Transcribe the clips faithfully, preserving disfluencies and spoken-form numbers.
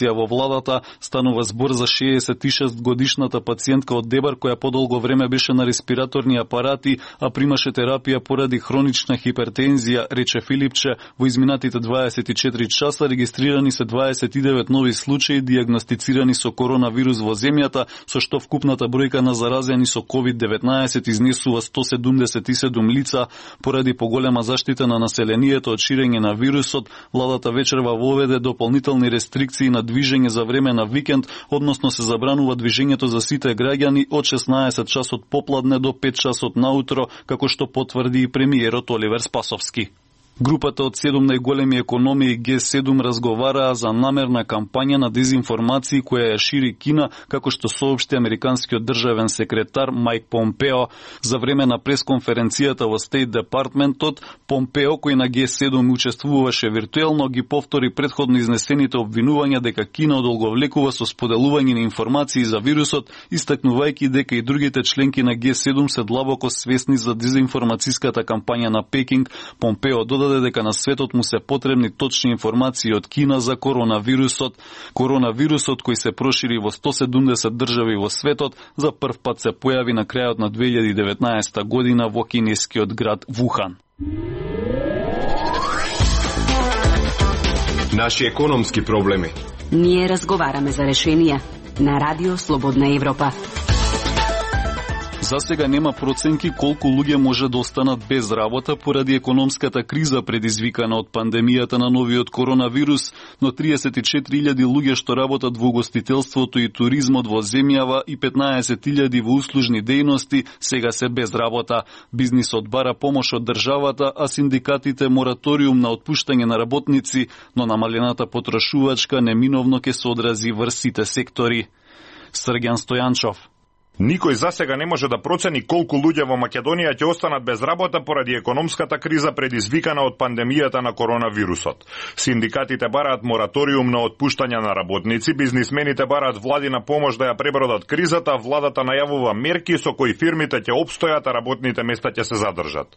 Во владата станува збор за шеесет и шест годишната пациентка од Дебар која подолго време беше на респираторни апарати, а примаше терапија поради хронична хипертензија, рече Филипче. Во изминатите дваесет и четири часа регистрирани се дваесет и девет нови случаи дијагностицирани со коронавирус во земјата, со што вкупната бројка на заразени со ковид деветнаесет изнесува сто седумдесет и седум лица. Поради поголема заштита на населението од ширење на вирусот, владата вечерва воведе дополнителни рестрикции на движење за време на викенд, односно се забранува движењето за сите граѓани од шеснаесет часот попладне до пет часот наутро, како што потврди и премиерот Оливер Спасовски. Групата од седум најголеми економии Г седум разговараа за намерна кампања на дезинформации која ја шири Кина, како што соопшти американскиот државен секретар Мајк Помпео. За време на пресконференцијата во Стейт Департментот, Помпео, кој на Г седум учествуваше виртуелно, ги повтори претходно изнесените обвинувања дека Кина одолговлекува со споделување на информации за вирусот, истакнувајќи дека и другите членки на Г седум се длабоко свесни за дезинформацијската кампања на Пекинг. Помпео додаде дека на светот му се потребни точни информации од Кина за коронавирусот. Коронавирусот, кој се прошири во сто седумдесет држави во светот, за прв пат се појави на крајот на две илјади и деветнаесета година во кинескиот град Вухан. Наши економски проблеми. Ние разговараме за решенија на Радио Слободна Европа. За сега нема проценки колку луѓе може да останат без работа поради економската криза предизвикана од пандемијата на новиот коронавирус, но триесет и четири илјади луѓе што работат во угостителството и туризмот во земјава и петнаесет илјади во услужни дејности сега се без работа. Бизнисот бара помош од државата, а синдикатите мораториум на отпуштање на работници, но намалената потрошувачка неминовно ќе се одрази врз сите сектори. Срѓан Стојанчов. Никој засега не може да процени колку луѓе во Македонија ќе останат без работа поради економската криза предизвикана од пандемијата на коронавирусот. Синдикатите бараат мораториум на отпуштање на работници, бизнисмените бараат владина помош да ја пребродат кризата, владата најавува мерки со кои фирмите ќе опстојат, а работните места ќе се задржат.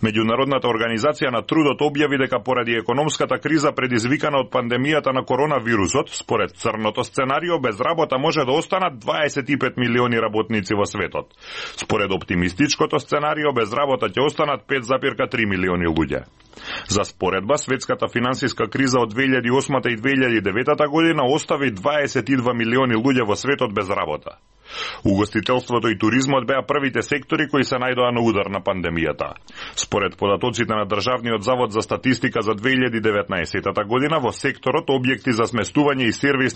Меѓународната организација на трудот објави дека поради економската криза предизвикана од пандемијата на коронавирусот, според црното сценарио, без работа може да останат дваесет и пет милиони работници во светот. Според оптимистичкото сценарио, без работа ќе останат пет запирка три милиони луѓе. За споредба, светската финансиска криза од две илјади и осма и две илјади и девета година остави дваесет и два милиони луѓе во светот без работа. Угостителството и туризмот беа првите сектори кои се најдоа на удар на пандемијата. Според податоците на Државниот завод за статистика за две илјади и деветнаесета година, во секторот објекти за сместување и сервис